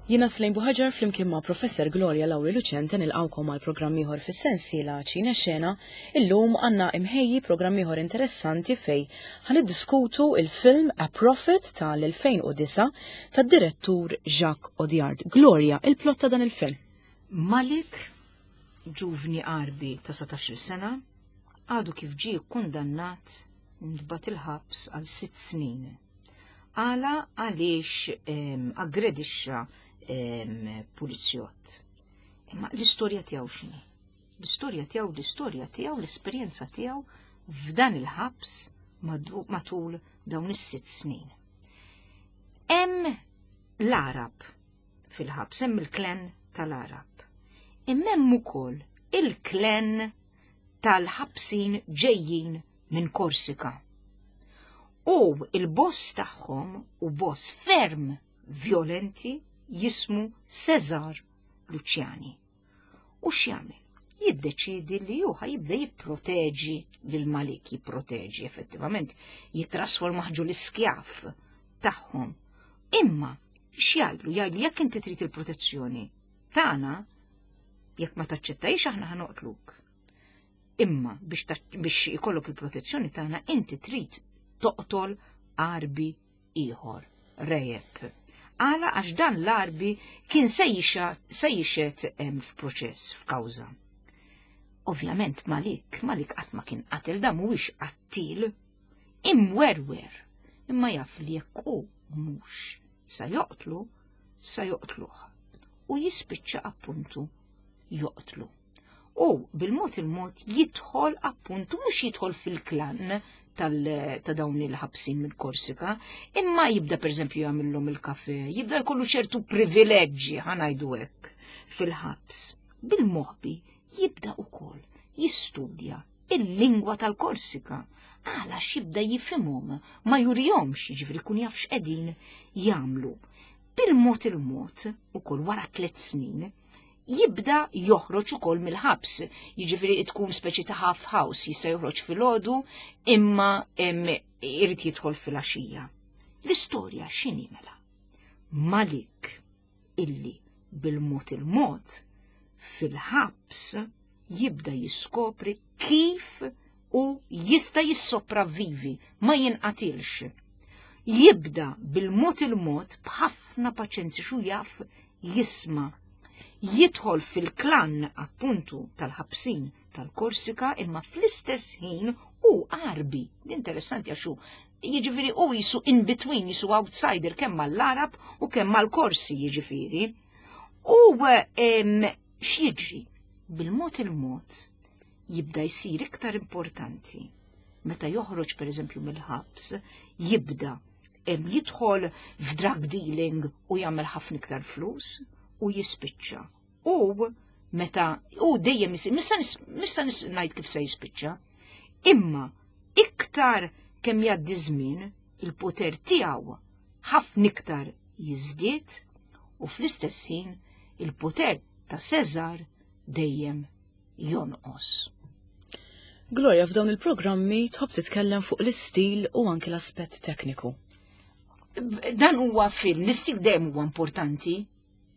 Jiena Slejn Buħaġar flimkien ma' Professor Gloria Lauri Lucente nilqawkom għal programm ieħor fis-sensiela Ċine Xena. Illum għandna imħejji programm ieħor interessanti fej ħa niddiskutu il-film A Prophet tal-2009 tad-direttur Jacques Audiard. Gloria, il-plot ta' dan il-film. Malik, ġuvni Għarbi ta' 17-il sena, għadu kif ġie kkundannat u ntbagħat il-ħabs għal sitt snin. Għala għaliex aggredixxa pulizjott. Imma l-istorja tiegħu x'inhi? L-istorja tiegħu, l-istorja tiegħu, l-esperjenza tiegħu f'dan il-ħabs matul dawn is-sitt snin. Hemm l-Arab fil-ħabs, hemm il-klen tal-Arab. Imma hemm ukoll il-klen tal-ħabsin ġejjin minn Korsika. U il-boss tagħhom u boss ferm violenti jismu Cesar Luciani. U x'jagħmel? Jiddeċidi li hu jibda jipproteġi lil Malik, jipproteġi effettivament, jitrasforma ġu l-iskjaf tagħhom. Imma x'jgħidlu? Jgħidlu jekk inti trid il-protezzjoni tagħna, jekk ma taċċettajx aħna ħanoqtluk. Imma biex, biex ikollok il-protezzjoni tagħna inti trid toqtol arbi ieħor, rejeb. Għala għax dan l-arbi kien se jixet f'proċess, f'kawża. Ovvjament Malik, Malik qatt ma kien qatel da mhuwiex qattil, imwerwer, imma jaf li jekk hu mhux sa joqtlu, sa joqtluh. U jispiċċa appuntu joqtlu. U bil-mod il-mod jidħol appuntu mhux jidħol fil-klan ta' dawn il-ħabsin minn Korsika, imma jibda pereżempju jagħmilhom il-kafe, jibda jkollu ċertu privileġġi ħanajdu hekk fil-ħabs. Bil-moħbi jibda ukoll jistudja il-lingwa tal-Korsika għala xibda jifhimhom ma jurihomx jiġifieri kun jaf x'qegħdin jagħmlu. Bil-mod il-mod ukoll wara tliet snin jibda joħroġ ukoll mill-ħabs, jiġifieri tkun speċi ta' half house, jista' joħroġ filgħodu imma irid jidħol filgħaxija. L-istorja x'inhi mela? Malik illi bil-mod il-mod fil-ħabs jibda jiskopri kif u jista' jissopravvivi, ma jinqatilx. Jibda bil-mod il-mod b'ħafna paċenzja xu jaf jisma. Jidħol fil-klan appuntu tal-ħabsin tal-Korsika imma fl-istess ħin u Għarbi. Interessanti għax hu jiġifieri u jisu in between, jisu outsider kemm mal-Arab u kemm mal-Korsi jiġifieri. U x'jiġri? Bil-mod il-mod jibda jsir iktar importanti. Meta joħroġ pereżempju mill-ħabs, jibda jidħol f'drug dealing u jagħmel ħafna iktar flus u jispiċċa. U meta u dejjem isir, missa ngħid kif se jispiċċa, imma iktar kemm jgħaddi żmien il-poter tiegħu ħafna iktar jiżdied u fl-istess ħin il-poter ta' Cesar dejjem jonqos. Gloria, f'dawn il-programmi tħobb titkellem fuq l-istil u anki l-aspett tekniku. Dan huwa film, l-istil dejjem huwa importanti.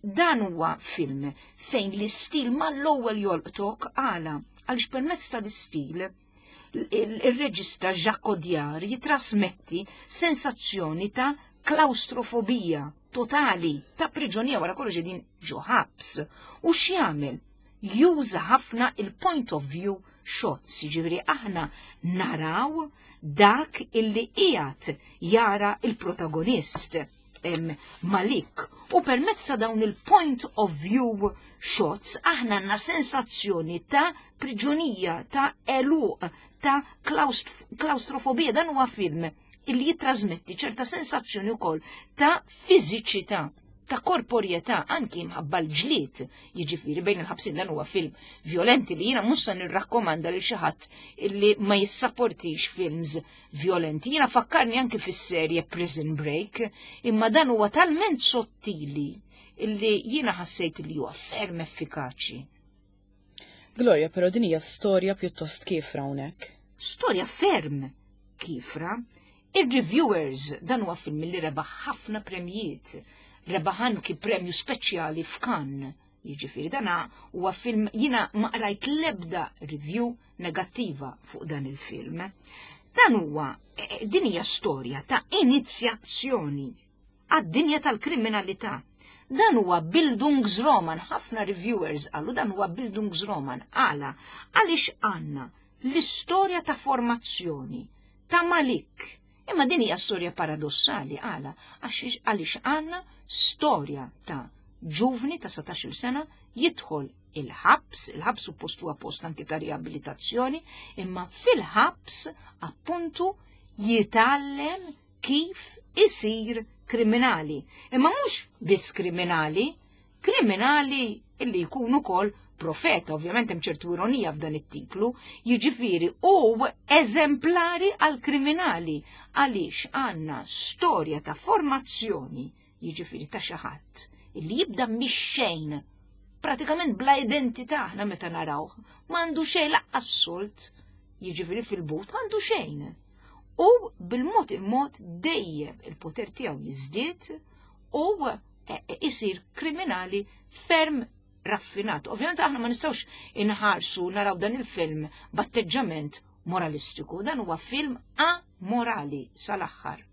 Dan huwa film fejn l-istil mal-ewwel jolqtok għala għaliex permezz tal-istil il-reġista Jacques Audiard jitrasmetti sensazzjoni ta' klaustrofobija totali ta' priġonija wara kollox din ġo ħabs. U x'jagħmel? Juża ħafna il-point of view shots, jiġifieri aħna naraw dak illi qiegħed jara il-protagonist Malik. U permezz ta' dawn il-point of view shots aħna għandna sensazzjoni ta' priġunija, ta' eluq, ta' klaustrofobija. Dan huwa film illi jitrasmetti ċerta sensazzjoni wkoll ta' fiżiċità ta' korporjetà anki mħabba l-ġlied, jiġifieri bejn il-ħabsin dan huwa film violenti li jiena mhux se nirrakkomanda lil xi ħadd illi ma jissapportix films violenti. Jiena fakkarni anki fis-serje Prison Break, imma dan huwa talment sottili illi jiena ħassejt li huwa ferm effikaċi. Gloria, però din hija storja pjuttost kiefra hawnhekk. Storja ferm kiefra. Ir-reviewers dan huwa film li rebaħ ħafna premjiet. rebaħ anki premju speċjali f'Cannes. Jiġifieri dana huwa film jiena ma qrajt l-ebda review negattiva fuq dan il-film. Dan huwa din hija storja ta' inizjazzjoni għad-dinja tal-kriminalità. Dan huwa Bildungsroman, ħafna reviewers qalu dan huwa Bildungsroman. Għala, għaliex għandna l-istorja ta' formazzjoni ta' Malik. Imma din hija storja paradossali għala, għaliex għandna storja ta' ġuvni ta' 17-il sena jidħol il-ħabs, il-ħabs suppost huwa post anki ta' riabilitazzjoni, imma fil-ħabs appuntu jitgħallem kif isir kriminali. Imma mhux biss kriminali, kriminali illi jkun ukoll profeta, ovvjament hemm ċertu ironija f'dan it-titlu, jiġifieri u eżemplari għal kriminali għaliex għandna storja ta' formazzjoni, jiġifieri ta' xi ħadd illi jibda mix-xejn, pratikament bla identità aħna meta narawh, m'għandu xejn laqqas solt, jiġifieri fil-but m'għandu xejn. U bil-mod il-mod dejjem il-poter tiegħu jiżdied u isir kriminali ferm raffinat. Ovvjament aħna ma nistgħux inħarsu naraw dan il-film b'atteġġament moralistiku. Dan huwa film amorali sal-aħħar.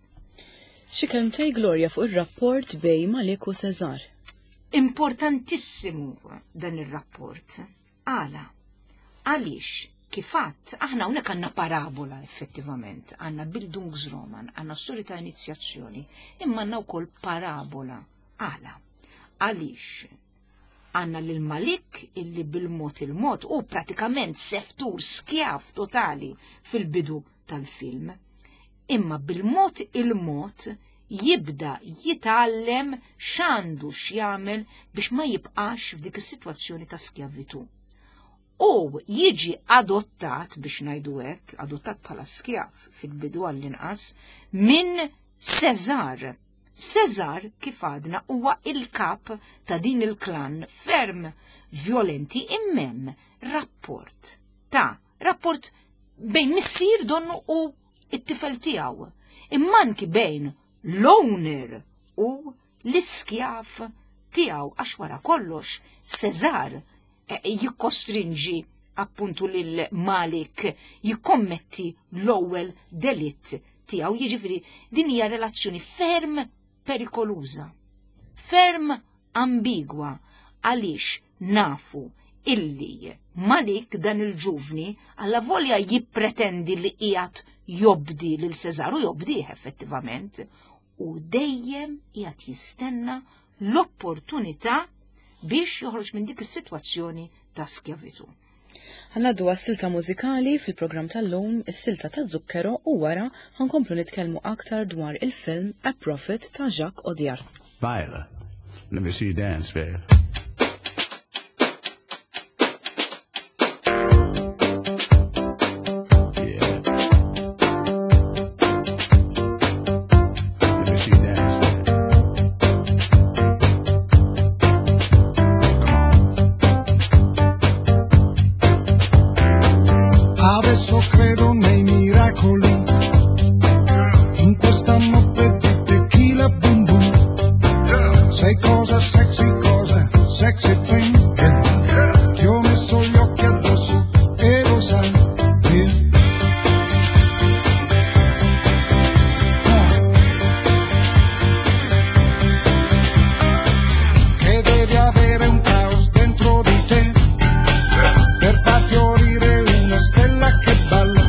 Xi kelmtej Gloria fuq ir-rapport bej Malik u Cesar. Importantissimu dan ir-rapport. Għala? Għaliex kif għadt, aħna hawnhekk għandna parabola effettivament, għandna Bildungsroman, għandna storja ta' inizjazzjoni, imma għandna wkoll parabola. Għala? Għaliex għandna lil Malik illi bil-mod il-mod u pratikament seftur skjav totali fil-bidu tal-film, imma bil-mod il-mod jibda jitgħallem x'għandu x'jagħmel biex ma jibqax f'dik is-sitwazzjoni ta' skjavitu. U jiġi adottat, biex ngħidu hekk, adottat bħala skjav fil-bidu għall-inqas, minn Cesar. Cesar, kif għadna, huwa il-kap ta' din il-klan ferm violenti immem rapport ta' rapport bejn missier donnu u it-tifel tiegħu, imma anki bejn l-owner u l-iskjav tiegħu, għax wara kollox Cesar jikkostrinġi appuntu lil Malik jikkommetti l-ewwel delitt tiegħu. Jiġifieri din hija relazzjoni ferm perikoluża, ferm ambigwa, għaliex nafu illi Malik dan il-ġuvni alla volja jippretendi li qiegħed jobdi lil Cesar u jobdih effettivament, u dejjem qiegħed jistenna l-opportunità biex joħroġ minn dik is-sitwazzjoni ta' skjavitu. Ħanaddu għas-silta mużikali fil-programm tal-lum, is-silta ta' Zucchero, u wara ħankomplu nitkellmu aktar dwar il-film A Prophet ta' Jacques Audiard. Viola, let me see you dance, babe. Adesso credo nei miracoli, in questa notte di tequila boom boom. Sei cosa sexy, cosa sexy thing che fa. Ti ho messo gli occhi addosso e lo sai. Yeah. Ah. Che devi avere un caos dentro di te per far fiorire una stella che balla.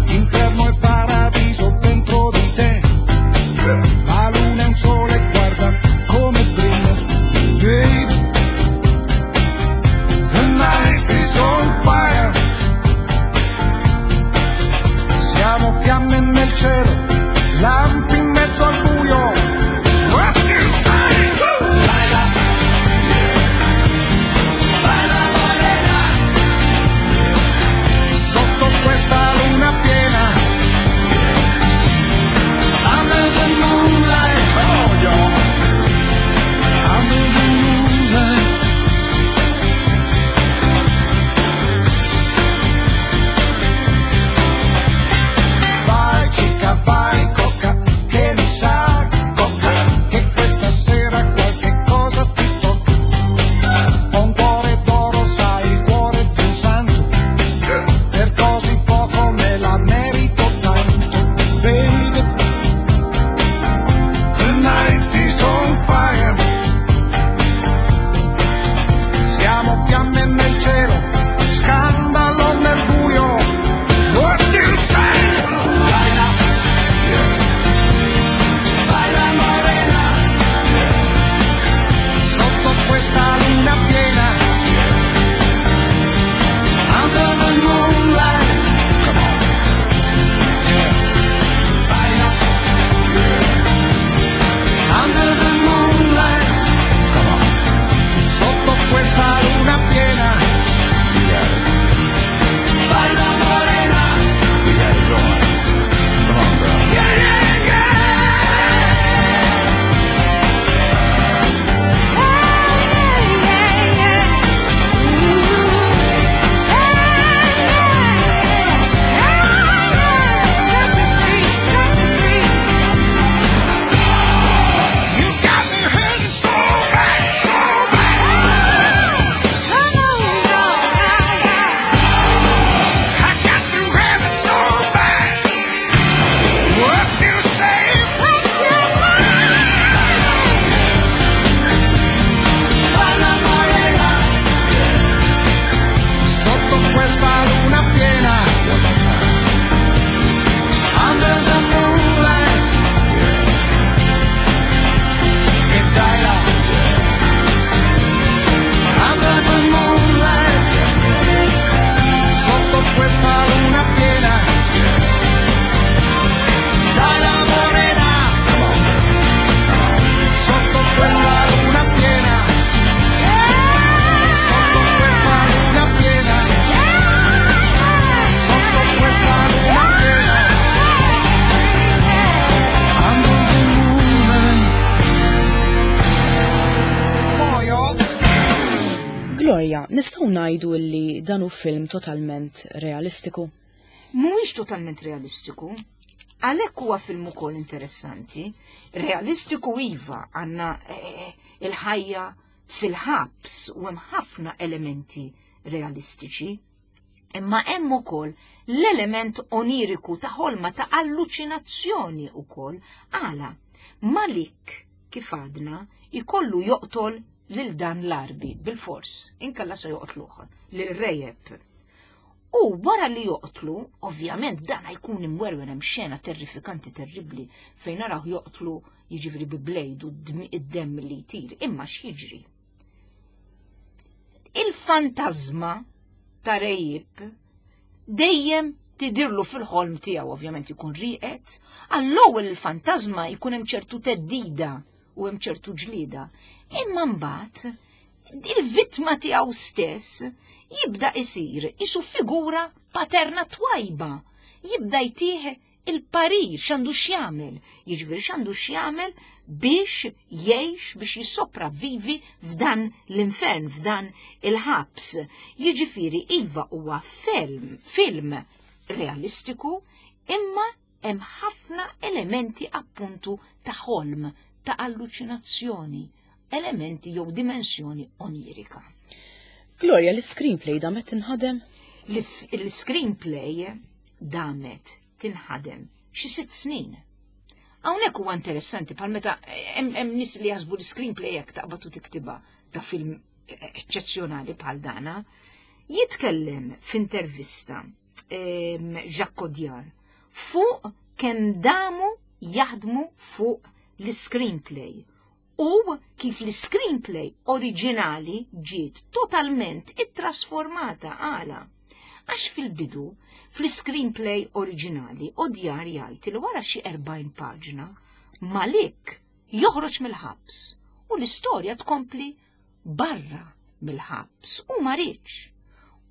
Inferno e paradiso dentro di te. La luna è un sole, guarda come brilla. Baby, Gloria, nistgħu ngħidu li dan hu film totalment realistiku? Mhuwiex totalment realistiku. Għalhekk huwa film ukoll interessanti. Realistiku iva għandna eh, il-ħajja fil-ħabs u hemm ħafna elementi realistiċi. Imma hemm ukoll l-element oniriku ta' ħolma ta' alluċinazzjoni ukoll għala Malik kif għadna jkollu joqtol lil dan l-arbi bil-fors, inkella se joqtluh lil Rejeb. U wara li joqtlu, ovvjament dan jkun imwerwer hemm xena terrifikanti terribbli fejn naraw joqtlu jiġifieri bi blejdu id-demm li jtir, imma x'jiġri? Il-fantażma ta' Rejib dejjem tidirlu fil-ħolm tiegħu ovvjament ikun rieqed, għall-ewwel il-fantażma jkun hemm ċertu teddida u hemm ċertu ġlieda. Imma mbagħad il-vittma tiegħu stess jibda isir isu figura paterna twajba, jibda jtih il-parir x'għandu x'jagħmel, jiġifieri x'għandu x'jagħmel biex jgħix biex jissopravvivi f'dan l-infern, f'dan il-ħabs. Jiġifieri iva huwa film, film realistiku, imma hemm ħafna elementi appuntu ta' ħolm, ta' alluċinazzjoni, elementi jew dimensjoni onirika. Gloria, l-screenplay damet tinħadem? L-screenplay damet tinħadem xi sitt snin. Hawnhekk huwa interessanti bħal meta hemm nies li jaħsbu l-screenplay jekk taqbad u tiktibha ta' film eċċezzjonali bħal dana. Jitkellem f'intervista ehm, Jacques Audiard fuq kemm damu jaħdmu fuq l-screenplay u kif l-screenplay oriġinali ġiet totalment ittrasformata għala. Għax fil-bidu, fl-screenplay oriġinali, Odjar jgħid li wara xi 40 paġna, Malik joħroġ mill-ħabs u l-istorja tkompli barra mill-ħabs u ma riedx.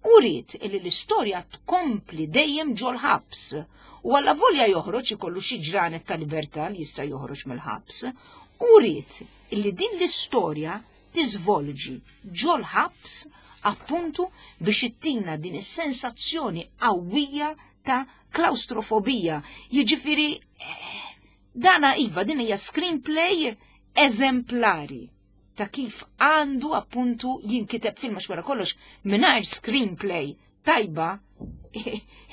U ried illi l-istorja tkompli dejjem ġol-ħabs u alla volja joħroġ ikollu xi ġranet ta' libertà li jista' joħroġ mill-ħabs u ried illi din l-istorja tiżvolġi ġol-ħabs appuntu biex ittina din is-sensazzjoni qawwija ta' klaustrofobija. Jiġifieri eh, dana iva din hija screenplay eżemplari ta' kif għandu appuntu jinkiteb film għax wara kollox mingħajr screenplay tajba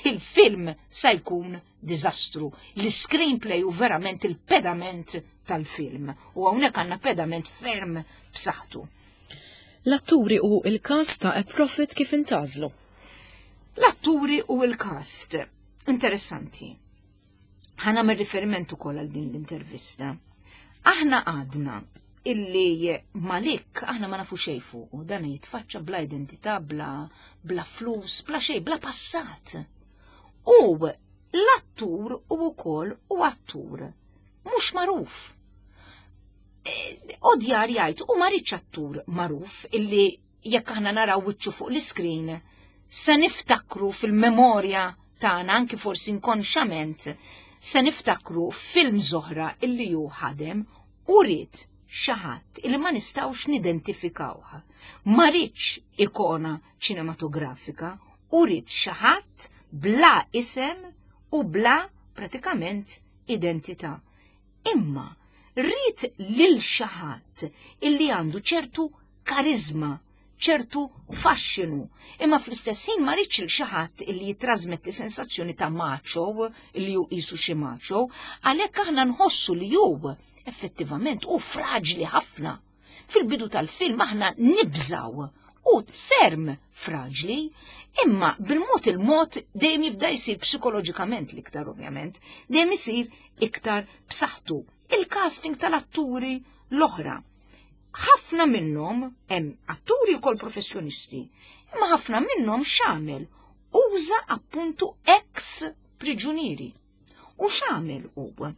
il-film sa jkun diżastru. L-screenplay u verament il-pedament tal-film u hawnhekk għandna pedament ferm b'saħħtu. L-atturi u il-cast ta' A Prophet kif intażlu? L-atturi u il-cast. Interessanti. Ħa nagħmel riferiment ukoll għal din l-intervista. Aħna għadna illi Malik aħna ma nafu xejn fuq u dan jitfaċċa bla identità, bla, bla flus, bla xejn, bla passat. U l-attur u wkoll u attur mhux magħruf. Eh, Odjar jgħid u ma rridx attur magħruf illi jekk aħna naraw wiċċu fuq l-iskrin, se niftakru fil-memorja tagħna anki forsi inkonxament se niftakru film zoħra illi ju ħadem u ried xi ħadd illi ma nistgħux nidentifikawha. Ma riedx ikona ċinematografika u ried xi ħadd bla isem u bla pratikament identità. Imma ried lil xi ħadd illi għandu ċertu kariżma, ċertu faxxinu, imma fl-istess ħin ma riedx lil xi ħadd illi jitrasmetti sensazzjoni ta' macho, illi hu qisu xi macho, għalhekk aħna nħossu li hu effettivament hu fraġli ħafna. Fil-bidu tal-film aħna nibżaw u ferm fraġli, imma bil-mod il-mod dejjem jibda jsir psikoloġikament l-iktar ovvjament, dejjem isir iktar b'saħħtu. Il-casting tal-atturi l-oħra. Ħafna minnhom hemm atturi wkoll professjonisti, imma ħafna minnhom x'għamel uża appuntu ex priġunieri. U x'għamel hu?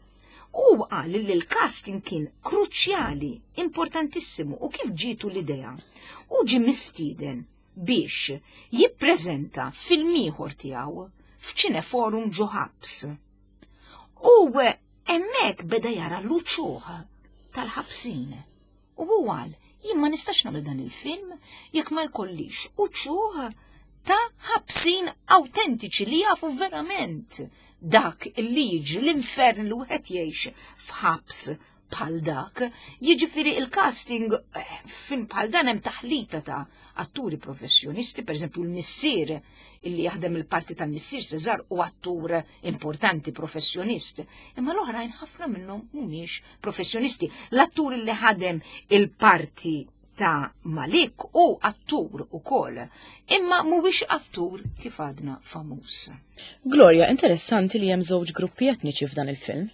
Hu qal li l-casting kien kruċjali, importantissimu u kif ġietu l-idea. U ġie mistieden biex jippreżenta film ieħor tiegħu f'Ċineforum ġo ħabs. U hemmhekk beda jara l-uċuħ tal-ħabsin. U hu qal, Jien ma nistax nagħmel dan il-film jekk ma jkollix uċuħ ta' ħabsin awtentiċi li jafu verament dak li jiġri l-infern li wieħed jgħix f'ħabs bħal dak. Jiġifieri il-casting eh, film bħal dan hemm taħlita ta' atturi professjonisti, pereżempju l-missier illi jaħdem il-parti tal-missier Cesar u attur importanti professjonist. Imma l-oħrajn ħafna minnhom mhumiex professjonisti. L-attur li ħadem il-parti ta' Malik u attur ukoll, imma mhuwiex attur kif għadna famuż. Gloria, interessanti li hemm żewġ gruppi etniċi f'dan il-film.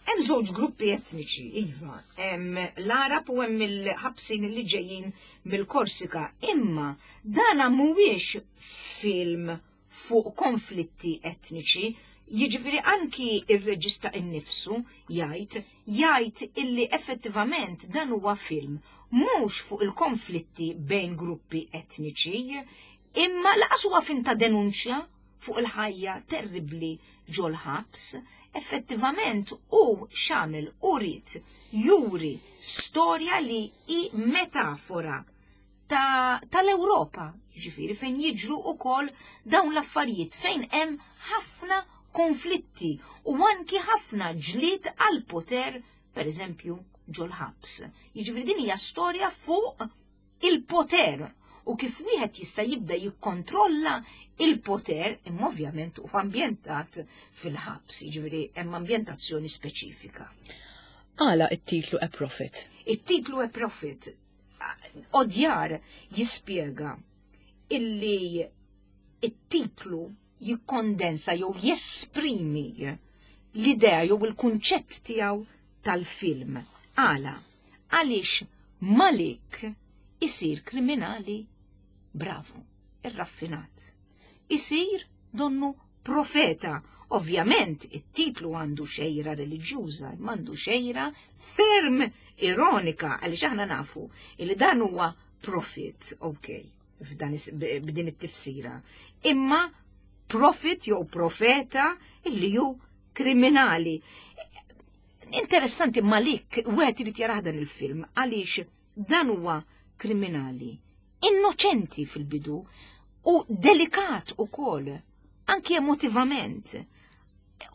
Hemm żewġ gruppi etniċi, iva, hemm l-Arab u hemm il-ħabsin li ġejjin mill-Korsika, imma dana mhuwiex film fuq konflitti etniċi, jiġifieri anki ir-reġista innifsu jgħid jgħid illi effettivament dan huwa film mhux fuq il-konflitti bejn gruppi etniċi, imma laqas huwa film ta' denunċja fuq il-ħajja terribbli ġol-ħabs, effettivament hu x'għamel hu ried juri storja li hi metafora tal-Ewropa, jiġifieri fejn jiġru wkoll dawn l-affarijiet fejn hemm ħafna konflitti u anki ħafna ġlied għal poter, per eżempju, ġol-ħabs. Jiġifieri din hija storja fuq il-poter u kif wieħed jista' jibda jikkontrolla il-poter imma ovvjament u ambjentat fil-ħabs, jiġifieri hemm ambjentazzjoni speċifika. Għala it-titlu A Prophet? It-titlu A Prophet Odjar jispjega illi it-titlu jikkondensa jew jesprimi l-idea jew il-kunċett tiegħu tal-film. Għala, għaliex Malik isir kriminali bravu, irraffinat. Isir donnu profeta. Ovvjament, it-titlu għandu xejra reliġjuża, imma għandu xejra ferm ironika, għaliex aħna nafu li dan huwa profit, ok, b'din it-tifsira. Imma profit jew profeta illi hu kriminali. Interessanti Malik, wieħed irid jarah dan il-film għaliex dan huwa kriminali, innoċenti fil-bidu u delikat ukoll, anki emotivament.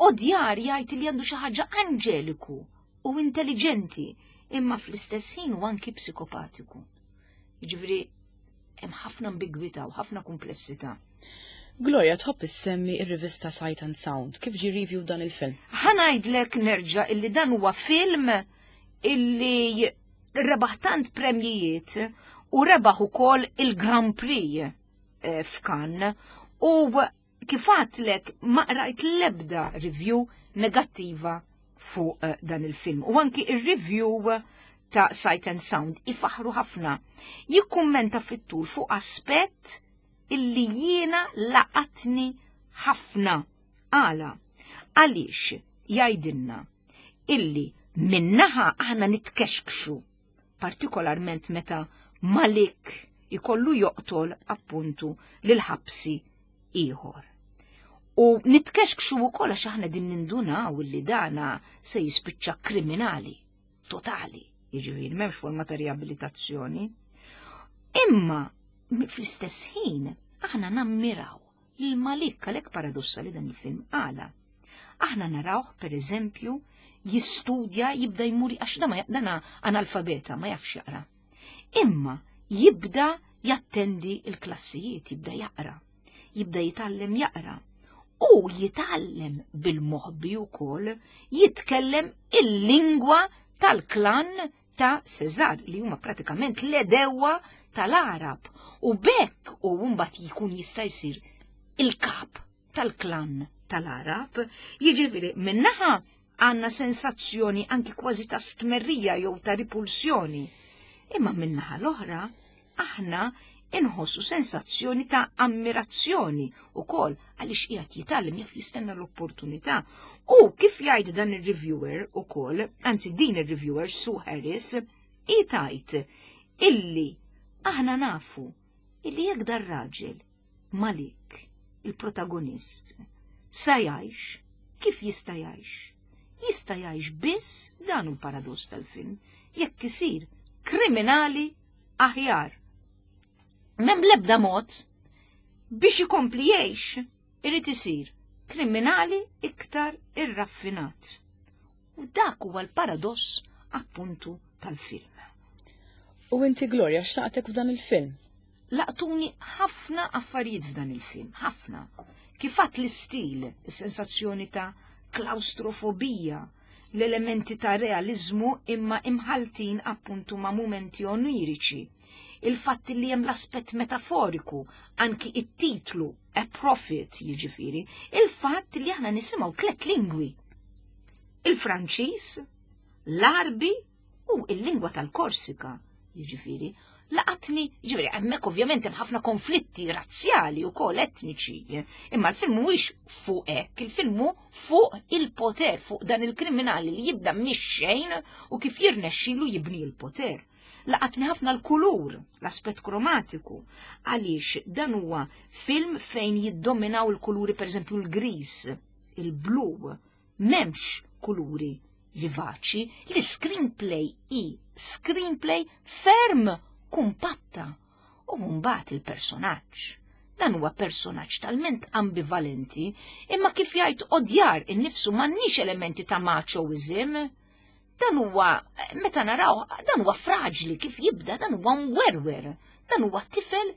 Odjar jgħid li għandu xi ħaġa anġeliku u intelligenti, imma fl-istess ħin u anki psikopatiku. Jiġifieri hemm ħafna ambigwità u ħafna kumplessità. Gloria tħobb issemmi ir-rivista Sight and Sound. Kif ġi review dan il-film? Ħa ngħidlek nerġa' illi dan huwa film illi rebaħ tant premjijiet u rebaħ ukoll il-Grand Prix eh, f'Cannes u kif għadtlek ma qrajt l-ebda review negattiva fuq eh, dan il-film. U anki il-review ta' Sight and Sound ifaħru ħafna. Jikkummenta fit-tul fuq aspett illi jiena laqatni ħafna. Għala, għaliex jgħidilna illi minnaħa aħna nitkexkxu, partikolarment meta Malik ikollu joqtol appuntu lil ħabsi ieħor. U nitkexkxu wkoll għax aħna din nindunaw illi dana se jispiċċa kriminali totali, jiġifieri m'hemmx forma ta' riabilitazzjoni. Imma fl-istess ħin aħna nammiraw lil Malik għalhekk paradossa li dan il-film għala. Aħna narawh per eżempju jistudja jibda jmur għax dana analfabeta ma jafx jaqra. Imma jibda jattendi il-klassijiet, jibda jaqra, jibda jitgħallem jaqra. U jitgħallem bil-moħbi wkoll jitkellem il-lingwa tal-klan ta' Cesar li huma pratikament l-edewa tal-Arab u bekk u mbagħad jkun jista' jsir il-kap tal-klan tal-Arab. Jiġifieri minnaħa għandna sensazzjoni anki kważi ta' stmerrija jew ta' ripulsjoni. Imma minnaħa l-oħra aħna inħossu sensazzjoni ta' ammirazzjoni ukoll għaliex qiegħed jitgħallem jaf jistenna l-opportunità. U kif jgħid dan ir-reviewer ukoll, anzi din ir-reviewer Sue Harris, hi tgħid illi aħna nafu illi jekk dar raġel Malik, il-protagonist, sa jgħix, kif jista' jgħix? Jista' jgħix biss dan hu l-paradoss tal-film, jekk isir kriminali. aħjar. M'hemm l-ebda mod biex ikompli jgħix irid isir kriminali iktar irraffinat. U dak huwa l-paradoss appuntu tal-film. U inti Gloria x'laqtek f'dan il-film? Laqtuni ħafna affarijiet f'dan il-film, ħafna. Kif għadt l-istil, is-sensazzjoni ta' klaustrofobija, l-elementi ta' realizmu imma imħaltin appuntu ma' mumenti oniriċi. Il-fatt li hemm l-aspett metaforiku, anki it-titlu A Prophet jiġifieri, il-fatt li aħna nisimgħu tlet lingwi. Il-Franċiż, l-Arbi u il-lingwa tal-Korsika, jiġifieri, laqatni, jiġifieri hemmhekk ovvjament hemm ħafna konflitti razzjali u kol etniċi, imma l-film mhuwiex fuq hekk, il-film hu fuq il-poter, fuq dan il-kriminali li jibda mix-xejn u kif jirnexxilu jibni l-poter. Laqatni ħafna l-kulur, l-aspett kromatiku, għaliex dan huwa film fejn jiddominaw il-kuluri pereżempju l-gris, il-blu, m'hemmx kuluri vivaċi, l-screenplay hi screenplay ferm kumpatta u mbagħad il-personaġġ. Dan huwa personaġġ talment ambivalenti, imma kif jgħid Audiard innifsu m'għandniex elementi ta' machoism. Dan huwa meta naraw, dan huwa fraġli kif jibda, dan huwa mwerwer, dan huwa tifel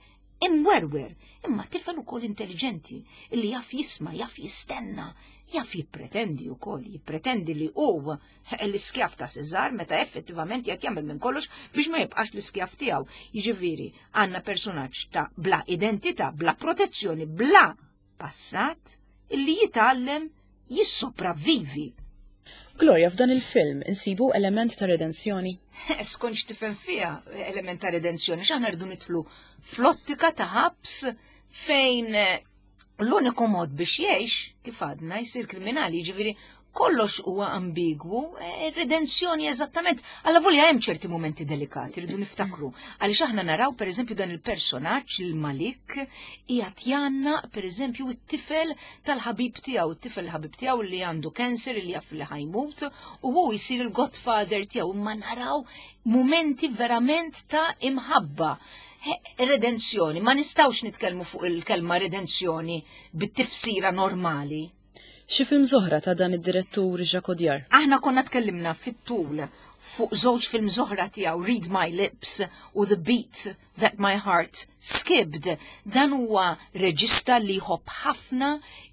imwerwer, imma tifel ukoll intelligenti, illi jaf jisma', jaf jistenna, jaf jippretendi wkoll, jippretendi li hu l-iskjav ta' Cesar meta effettivament qed jagħmel minn kollox biex ma jibqax l-iskjav tiegħu. Jiġifieri għandna personaġġ ta' bla identità, bla protezzjoni, bla passat, illi jitgħallem jissopravvivi. Gloria, f'dan il-film insibu element ta' redenzjoni? Skont x'tifhem fiha element ta' redenzjoni, x'aħna rridu nidħlu fl-ottika ta' ħabs fejn l-uniku mod biex jgħix, kif għadna, jsir kriminali, jiġifieri kollox huwa ambigwu, redenzjoni eżattament, alla volja hemm ċerti momenti delikati, rridu niftakru. Għaliex aħna naraw pereżempju dan il-personaġġ il-Malik qiegħed janna pereżempju t-tifel tal-ħabib tiegħu, it-tifel ħabib tiegħu li għandu cancer li jaf li ħajmut u hu jsir il-godfather tiegħu, imma naraw momenti verament ta' imħabba. Redenzjoni, ma nistgħux nitkellmu fuq il-kelma redenzjoni bit-tifsira normali. Xi films oħra ta' dan id-direttur Jacques Audiard? Aħna konna tkellimna fit-tul fuq żewġ films oħra tiegħu, Read My Lips u The Beat That My Heart Skipped. Dan huwa reġista li jħobb ħafna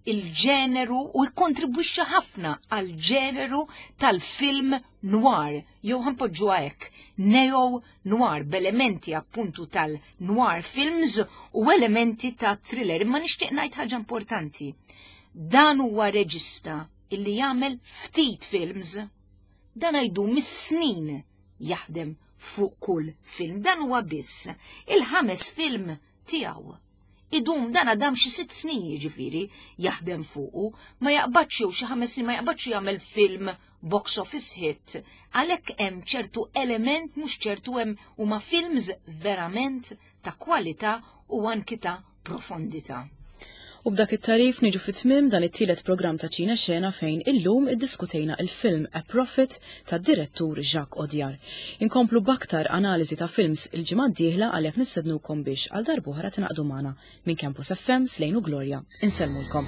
il-ġeneru u jikkontribwixxa ħafna għal-ġeneru tal-film noir, jew ħanpoġġuha hekk, neo noir b'elementi appuntu tal-noir films u elementi ta' thriller. Imma nixtieq ngħid ħaġa importanti. Dan huwa reġista illi jagħmel ftit films. Dan għajdu mis-snin jaħdem fuq kull film. Dan huwa biss il-ħames film tiegħu. Idum dan għadam xi 6 snin jiġifieri jaħdem fuqu, ma jaqbadx jew xi 5 snin ma jaqbadx jagħmel film box office hit. Għalhekk hemm ċertu element mhux ċertu hemm huma films verament ta' kwalità u anki ta' profondità. U b'dak it-tarif niġu fit-tmiem dan it-tielet programm ta' Ċina Xena fejn illum iddiskutejna il-film A Prophet tad-direttur Jacques Audiard. Inkomplu b'aktar analiżi ta' films il-ġimgħa d-dieħla għalhekk nistednukom biex għal darb'oħra tingħaqdu magħna minn Campus FM Slejn u Gloria. Insellmulkom.